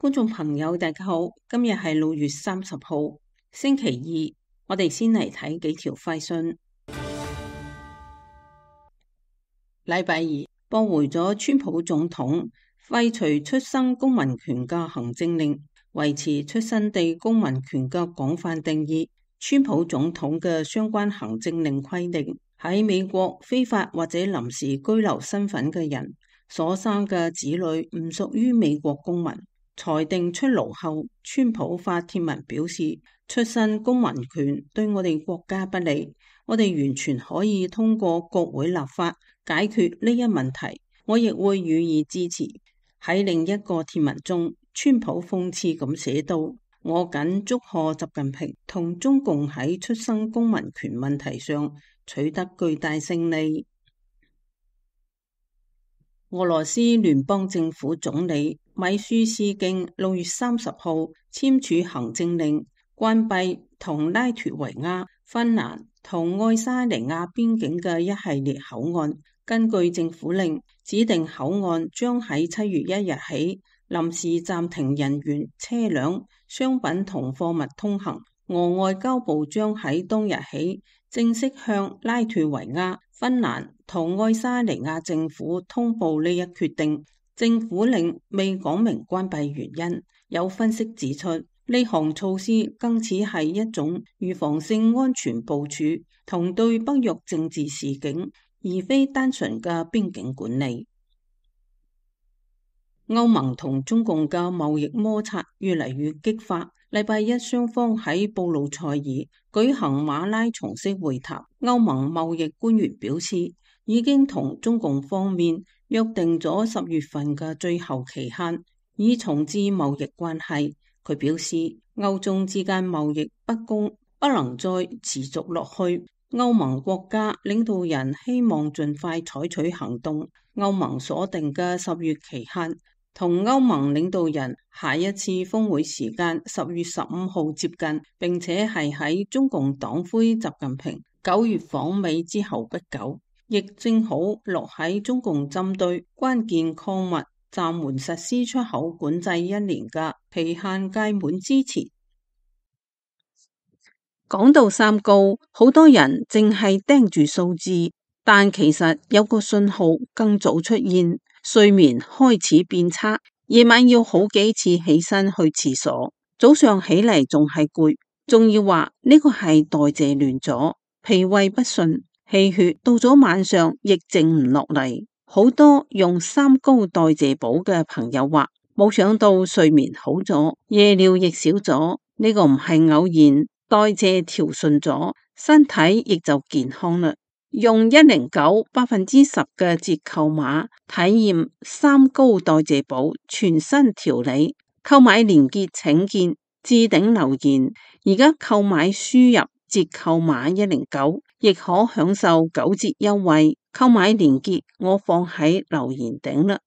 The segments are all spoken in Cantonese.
觀眾朋友，大家好，今日係6月30號，星期二，我哋先嚟睇幾條快訊。禮拜二，駁回咗川普總統廢除出生公民權嘅行政令，維持出生地公民權嘅廣泛定義。川普總統嘅相關行政令規定，喺美國非法或者臨時居留身份嘅人所生嘅子女唔屬於美國公民。裁定出爐後，川普發帖文表示，出生公民權對我哋國家不利，我哋完全可以通過國會立法解決呢一問題，我亦會予以支持。喺另一個帖文中，川普諷刺咁寫道：我謹祝賀習近平同中共喺出生公民權問題上取得巨大勝利。俄羅斯聯邦政府總理米舒斯京6月30號簽署行政令，關閉同拉脫維亞、芬蘭同愛沙尼亞邊境嘅一系列口岸。根據政府令，指定口岸將喺7月1日起臨時暫停人員、車輛、商品同貨物通行。俄外交部將喺當日起正式向拉脫維亞、芬蘭同愛沙尼亞政府通報呢一決定。政府令未講明關閉原因，有分析指出，呢項措施更似係一種預防性安全部署同對北約政治示警，而非單純嘅邊境管理。歐盟同中共嘅貿易摩擦越嚟越激化。禮拜一，雙方喺布魯塞爾舉行馬拉松式會談。歐盟貿易官員表示，已經同中共方面約定咗10月份嘅最後期限，以重置貿易關係。佢表示，歐中之間貿易不公不能再持續落去。歐盟國家領導人希望盡快採取行動。歐盟所定嘅10月期限同歐盟領導人下一次峰會時間10月15號接近，並且係喺中共黨魁習近平9月訪美之後不久，亦正好落喺中共針對關鍵礦物暫緩實施出口管制1年嘅期限屆滿之前。講到三高，好多人淨係盯住數字，但其實有個信號更早出現。睡眠開始變差，夜晚要好幾次起身去廁所，早上起嚟仲係攰，仲要話呢個係代謝亂咗，脾胃不順，氣血到咗晚上亦靜唔落嚟。好多用三高代謝補嘅朋友話，冇想到睡眠好咗，夜尿亦少咗，呢個唔係偶然，代謝調順咗，身體亦就健康啦。用109 10% 嘅折扣碼體驗三高代謝補全新調理，購買鏈接請見置頂留言。而家購買輸入折扣碼109，亦可享受9折優惠。購買鏈接我放喺留言頂啦。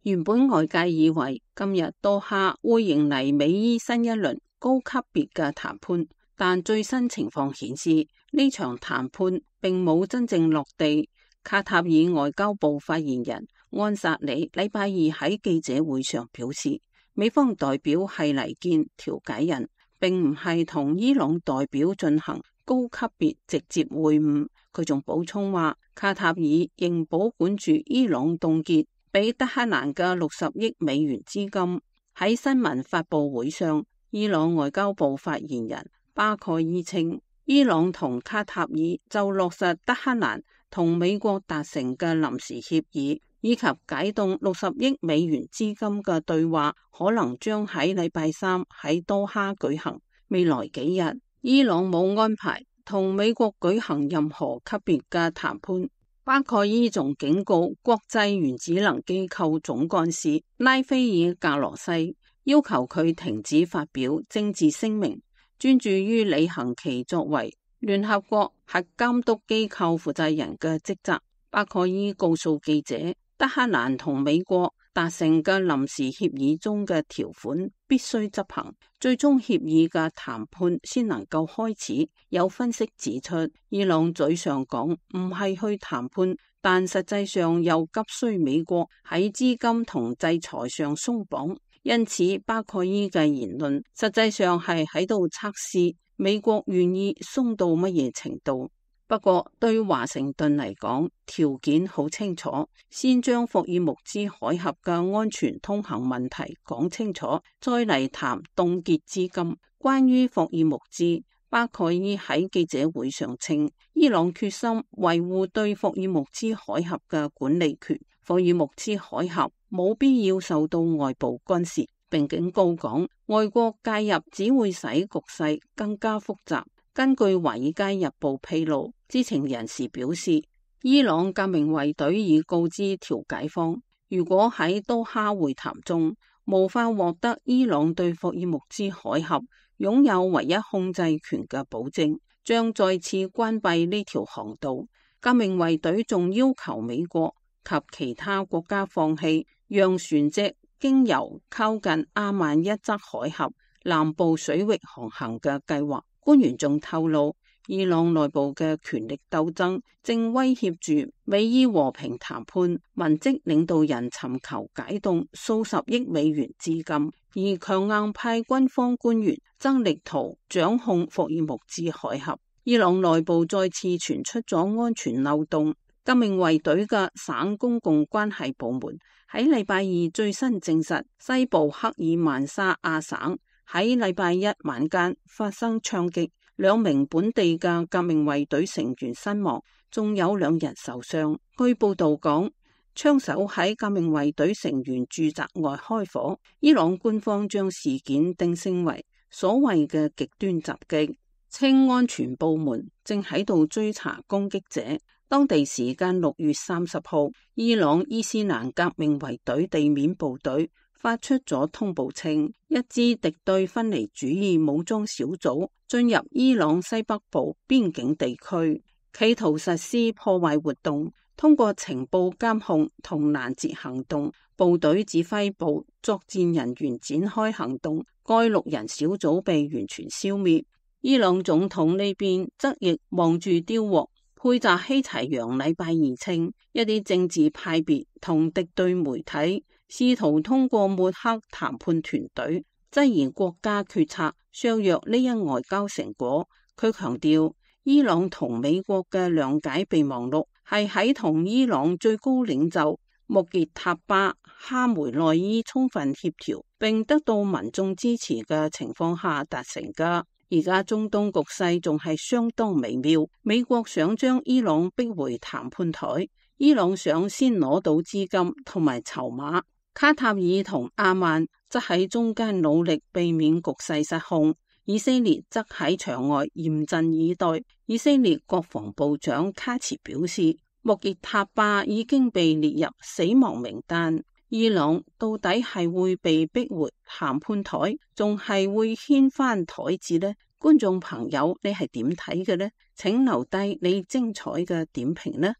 原本外界以為今日多哈會迎嚟美伊新一輪高級別嘅談判，但最新情況顯示呢場談判並冇真正落地。卡塔爾外交部發言人安薩里禮拜二喺記者會上表示，美方代表係嚟見調解人，並唔係同伊朗代表進行高級別直接會晤。佢仲補充話，卡塔爾仍保管住伊朗凍結俾德黑蘭嘅60億美元資金。喺新聞發佈會上，伊朗外交部發言人巴蓋伊稱，伊朗同卡塔爾就落實德黑蘭同美國達成嘅臨時協議，以及解凍60億美元資金嘅對話，可能將喺禮拜3喺多哈舉行。未來幾日，伊朗冇安排同美國舉行任何級別嘅談判。巴蓋伊仲警告國際原子能機構總幹事拉菲爾格羅西，要求佢停止發表政治聲明，專注於履行其作為聯合國核監督機構負責人嘅職責。巴蓋伊告訴記者，德黑蘭同美國達成嘅臨時協議中嘅條款必須執行，最終協議嘅談判先能夠開始。有分析指出，伊朗嘴上講唔係去談判，但實際上又急需美國喺資金同制裁上鬆綁，因此巴蓋伊嘅言論實際上係喺度測試美國願意鬆到乜嘢程度。不過對華盛頓嚟講，條件好清楚，先將霍爾木茲海峽嘅安全通行問題講清楚，再嚟談凍結資金。關於霍爾木茲，巴蓋伊喺記者會上稱，伊朗決心維護對霍爾木茲海峽嘅管理權，霍爾木茲海峽冇必要受到外部干涉，並警告講，外國介入只會使局勢更加複雜。根據《華爾街日報》披露，知情人士表示，伊朗革命衛隊已告知調解方，如果喺多哈會談中無法獲得伊朗對霍爾木茲海峽擁有唯一控制權嘅保證，將再次關閉呢條航道。革命衛隊仲要求美國及其他國家放棄讓船隻經由靠近阿曼一側海峽南部水域航行嘅計劃。官員仲透露，伊朗內部嘅權力鬥爭正威脅住美伊和平談判文職領導人尋求解凍數十億美元資金，而強硬派軍方官員則力圖掌控霍爾木茲海峽。伊朗內部再次傳出咗安全漏洞。革命衛隊嘅省公共關係部門喺禮拜二最新證實，西部克爾曼沙亞省喺禮拜一晚間發生槍擊，2名本地嘅革命衛隊成員身亡，仲有2人受傷。據報道講，槍手喺革命衛隊成員住宅外開火。伊朗官方將事件定性為所謂嘅極端襲擊，稱安全部門正喺度追查攻擊者。當地時間6月30號，伊朗伊斯蘭革命衛隊地面部隊發出咗通報稱，一支敵對分離主義武裝小組進入伊朗西北部邊境地區，企圖實施破壞活動。通過情報監控同攔截行動，部隊指揮部作戰人員展開行動，該6人小組被完全消滅。伊朗總統呢邊則亦望住丟鑊。佩扎希齊揚禮拜二稱，一啲政治派別同敵對媒體試圖通過抹黑談判團隊，質疑國家決策，削弱呢一外交成果。佢強調，伊朗同美國嘅諒解備忘錄係喺同伊朗最高領袖穆傑塔巴哈梅內伊充分協調並得到民眾支持嘅情況下達成㗎。而家中東局勢仲係相當微妙，美國想將伊朗逼回談判台，伊朗想先攞到資金同埋籌碼，卡塔爾同阿曼則喺中間努力避免局勢失控，以色列則喺場外嚴陣以待。以色列國防部長卡茨表示，穆傑塔巴已經被列入死亡名單。伊朗到底係會被逼回談判台，仲係會掀翻台子呢？觀眾朋友，你係點睇嘅呢？請留低你精彩嘅點評呢？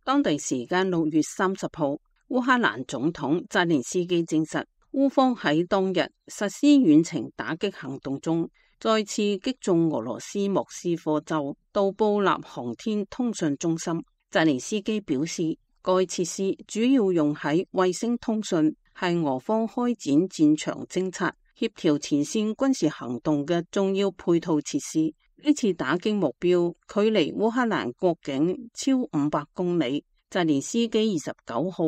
當地時間6月30號，烏克蘭總統澤連斯基證實，烏方喺當日實施遠程打擊行動中，再次擊中俄羅斯莫斯科州杜布納航天通訊中心。澤連斯基表示，該設施主要用喺衛星通訊，係俄方開展戰場偵察、協調前線軍事行動嘅重要配套設施。呢次打擊目標距離烏克蘭國境超500公里。澤連斯基29號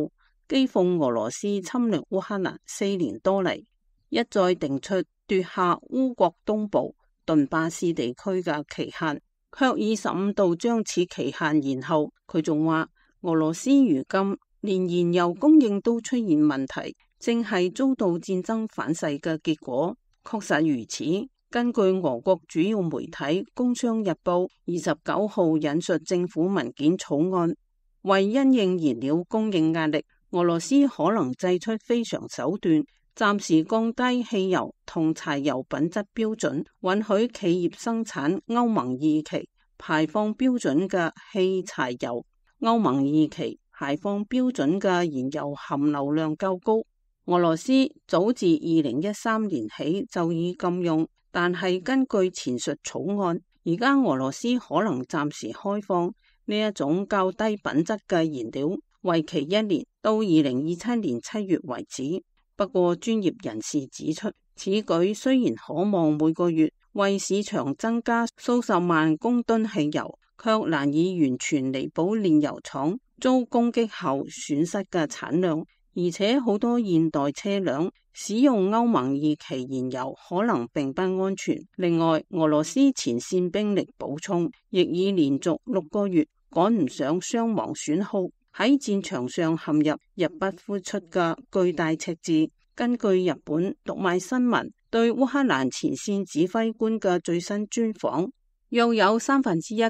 譏諷俄羅斯侵略烏克蘭4年多嚟，一再定出奪下烏國東部頓巴斯地區嘅期限，卻以15度將此期限延後。佢仲話，俄羅斯如今連燃油供應都出現問題，正係遭到戰爭反噬嘅結果。確實如此。根據俄國主要媒體《工商日報》29號引述政府文件草案，為因應燃料供應壓力，俄羅斯可能祭出非常手段，暫時降低汽油同柴油品質標準，允許企業生產歐盟2期排放標準嘅汽柴油。歐盟2期排放標準嘅燃油含硫量較高。俄羅斯早自2013年起就已禁用，但係根據前述草案，而家俄羅斯可能暫時開放呢一種較低品質嘅燃料，為期1年，到2027年7月為止。不過專業人士指出，此舉雖然可望每個月為市場增加數十萬公噸汽油，卻難以完全彌補煉油廠遭攻擊後損失嘅產量。而且好多現代車輛使用歐盟2期燃油可能並不安全。另外，俄羅斯前線兵力補充亦已連續6個月趕唔上傷亡損耗，喺戰場上陷入入不敷出嘅巨大赤字。根據日本讀賣新聞對烏克蘭前線指揮官嘅最新專訪，約有1/3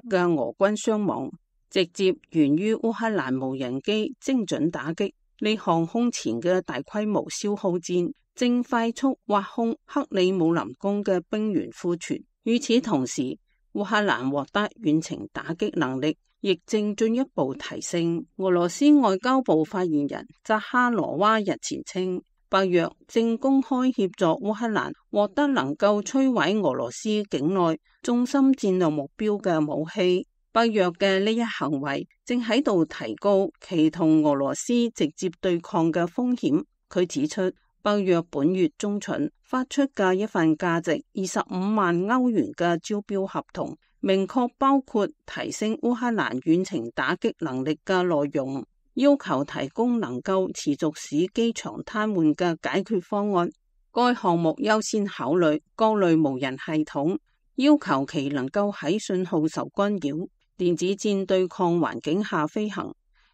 嘅俄軍傷亡，直接源於烏克蘭無人機精準打擊。呢項空前嘅大規模消耗戰正快速挖空克里姆林宮嘅兵員庫存。與此同時，烏克蘭獲得遠程打擊能力亦正進一步提升。俄羅斯外交部發言人扎哈羅娃日前稱，北約正公開協助烏克蘭獲得能夠摧毀俄羅斯境內重心戰略目標嘅武器。北約嘅呢一行為正喺度提高其同俄羅斯直接對抗嘅風險。佢指出，北約本月中旬發出嘅一份價值25萬歐元嘅招標合同，明確包括提升烏克蘭遠程打擊能力嘅內容，要求提供能夠持續使機場癱瘓嘅解決方案。該項目優先考慮各類無人系統，要求其能夠喺信號受干擾、電子戰對抗環境下飛行，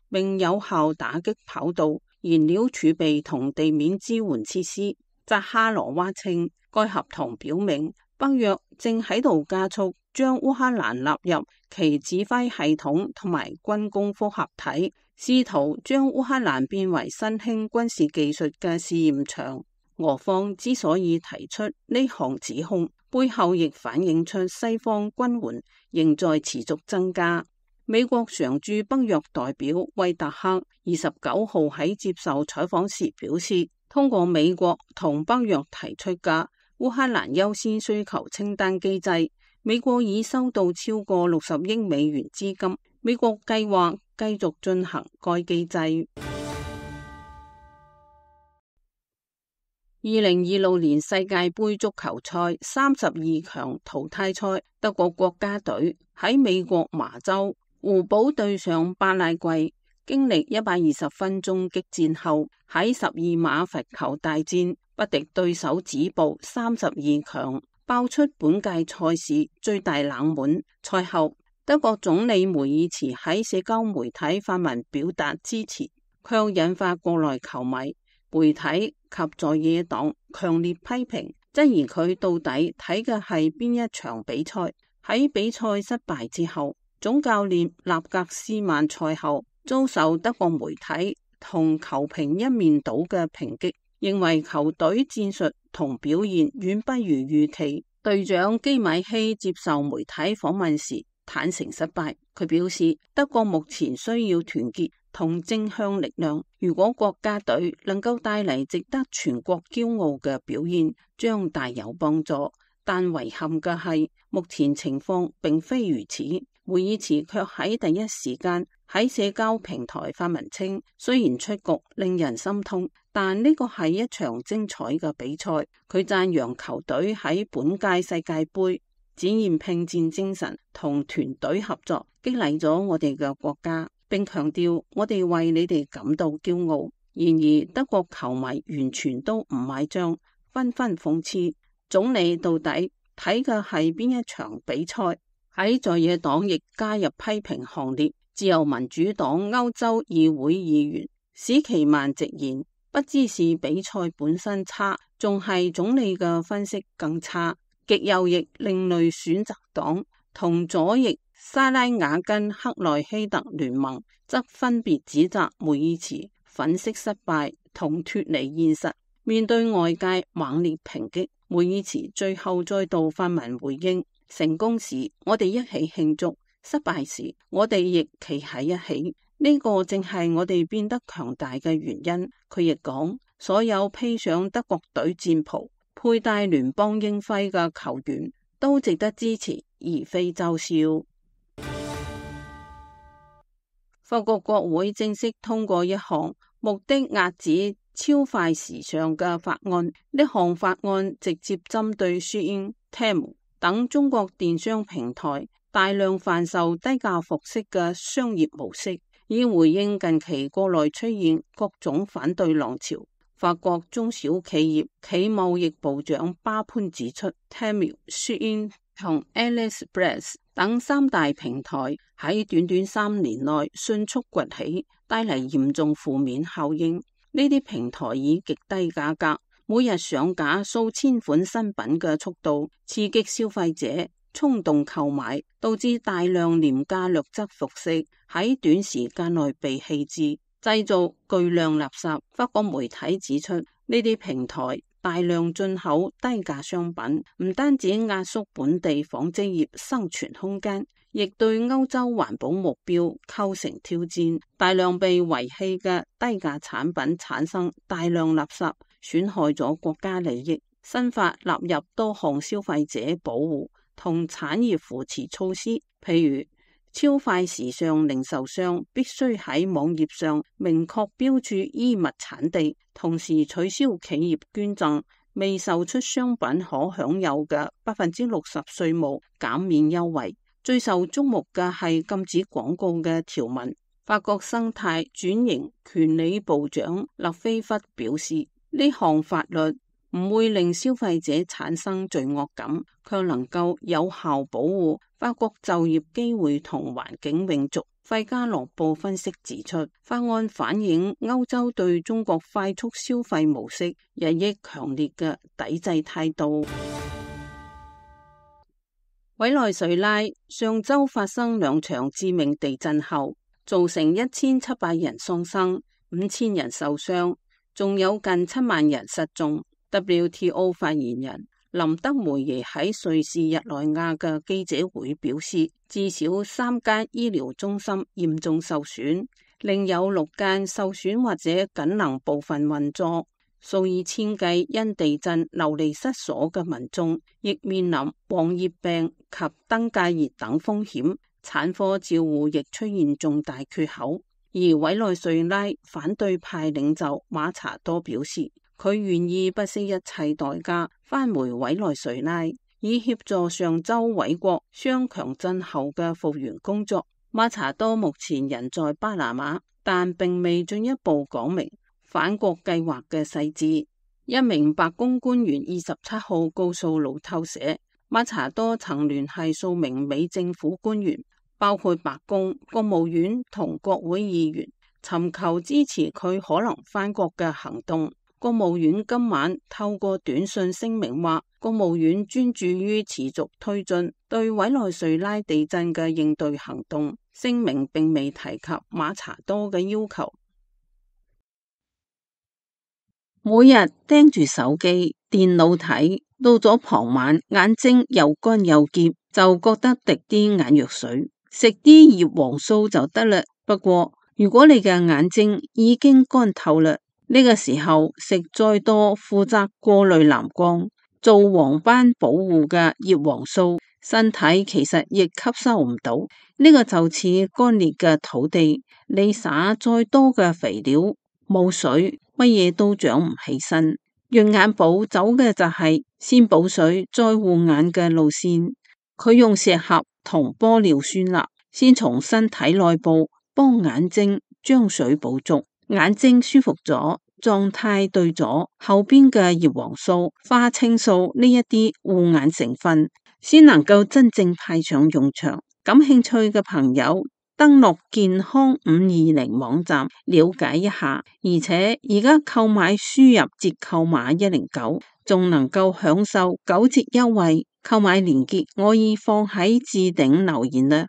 並有效打擊跑道、燃料儲備同地面支援設施。扎哈羅娃稱，該合同表明北約正喺度加速將烏克蘭納入其指揮系統同埋軍工複合體，試圖將烏克蘭變為新興軍事技術嘅試驗場。俄方之所以提出呢項指控，背後亦反映出西方軍援仍在持續增加。美國常駐北約代表惠特克29號喺接受採訪時表示，通過美國同北約提出嘅烏克蘭優先需求清單機制，美國已收到超過60億美元資金。美國計劃繼續進行該機制。2026年世界盃足球賽32強淘汰賽，德國國家隊喺美國麻州胡堡對上巴拉圭，經歷120分鐘激戰後，喺12碼罰球大戰不敵對手止步32強，爆出本屆賽事最大冷門。賽後，德國總理梅爾茨喺社交媒體發文表達支持，卻引發國內球迷、媒體及在野黨強烈批評，質疑佢到底睇嘅係邊一場比賽。喺比賽失敗之後，總教練納格斯曼賽後遭受德國媒體同球評一面倒嘅抨擊，認為球隊戰術同表現遠不如預期。隊長基米希接受媒體訪問時坦誠失敗，佢表示德國目前需要團結同正向力量，如果國家隊能夠帶嚟值得全國驕傲嘅表現，將大有幫助。但遺憾嘅係，目前情況並非如此。梅爾茨卻喺第一時間喺社交平台發文稱，雖然出局令人心痛，但呢個係一場精彩嘅比賽。佢讚揚球隊喺本屆世界盃展現拼戰精神同團隊合作，激勵咗我哋嘅國家，並強調我哋為你哋感到驕傲。然而德國球迷完全都唔買賬，紛紛諷刺總理到底睇嘅係邊一場比賽。喺在野黨亦加入批評行列，自由民主黨歐洲議會議員史奇曼直言，不知是比賽本身差，仲係總理嘅分析更差。極右翼另類選擇黨同左翼沙拉瓦根克內希特聯盟則分別指責梅爾茨粉飾失敗同脫離現實。面對外界猛烈抨擊，梅爾茨最後再度發文回應，成功時我哋一起慶祝，失敗時我哋亦企喺一起，呢個正係我哋變得強大嘅原因。佢亦講，所有披上德國隊戰袍、佩戴聯邦鷹徽嘅球員都值得支持，而非嘲笑。法國國會正式通過一項目的遏止超快時尚嘅法案，呢項法案直接針對 Shein、Temu 等中國電商平台大量販售低價服飾嘅商業模式，以回應近期國內出現各種反對浪潮。法國中小企業企貿易部長巴潘指出， Temu、Shein 同 AliExpress 等三大平台喺短短3年內迅速崛起，帶嚟嚴重負面效應。呢啲平台以極低價格，每日上架數千款新品嘅速度，刺激消費者衝動購買，導致大量廉價劣質服飾喺短時間內被棄置，製造巨量垃圾。法國媒體指出，呢啲平台大量進口低價商品，唔單止壓縮本地紡織業生存空間，亦對歐洲環保目標構成挑戰。大量被遺棄嘅低價產品產生大量垃圾，損害咗國家利益。新法納入多項消費者保護同產業扶持措施，譬如超快時尚零售商必須喺網頁上明確標注衣物產地，同時取消企業捐贈未售出商品可享有嘅60%稅務減免優惠。最受矚目嘅係禁止廣告嘅條文。法國生態轉型權利部長勒菲弗表示，呢項法律唔會令消費者產生罪惡感，卻能夠有效保護法國就業機會同環境永續。費加洛報分析指出，法案反映歐洲對中國快速消費模式日益強烈嘅抵制態度。委內瑞拉上周發生2場致命地震後，造成1700人喪生、5000人受傷，仲有近7萬人失蹤。WTO 發言人林德梅耶喺瑞士日內瓦嘅記者會表示，至少3間醫療中心嚴重受損，另有6間受損或者僅能部分運作。數以千計因地震流離失所嘅民眾，亦面臨黃熱病及登革熱等風險，產科照護亦出現重大缺口。而委內瑞拉反對派領袖馬查多表示，佢願意不惜一切代價返回委內瑞拉，以協助上周委國雙強震後嘅復原工作。馬查多目前人在巴拿馬，但並未進一步講明返國計劃嘅細節。一名白宮官員27號告訴路透社，馬查多曾聯繫數名美政府官員，包括白宮、國務院同國會議員，尋求支持佢可能返國嘅行動。國務院今晚透過短信聲明話，國務院專注於持續推進對委內瑞拉地震嘅應對行動。聲明並未提及馬查多嘅要求。每日盯住手機、電腦睇，到咗傍晚眼睛又乾又澀，就覺得滴啲眼藥水，食啲葉黃素就得啦。不過如果你嘅眼睛已經乾透啦，呢個時候食再多負責過濾藍光、做黃斑保護嘅葉黃素，身體其實亦吸收唔到。呢個就似乾裂嘅土地，你撒再多嘅肥料，冇水，乜嘢都長唔起身。養眼寶走嘅就係先補水再護眼嘅路線，佢用石斛同玻尿酸鈉，先從身體內部幫眼睛將水補足，眼睛舒服咗，狀態對咗，後邊嘅葉黃素、花青素呢一啲護眼成分先能夠真正派上用場。感興趣嘅朋友登錄健康520網站了解一下，而且而家購買輸入折扣碼109，仲能夠享受9折優惠。購買鏈接我已放喺置頂留言啦。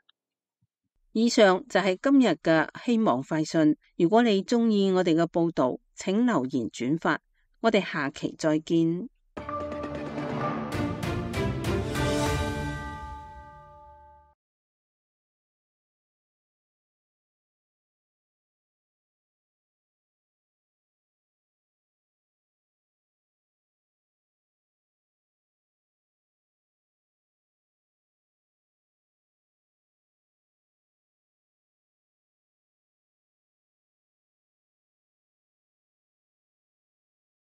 以上就係今日嘅希望快訊。如果你鍾意我哋嘅報道，請留言轉發。我哋下期再見。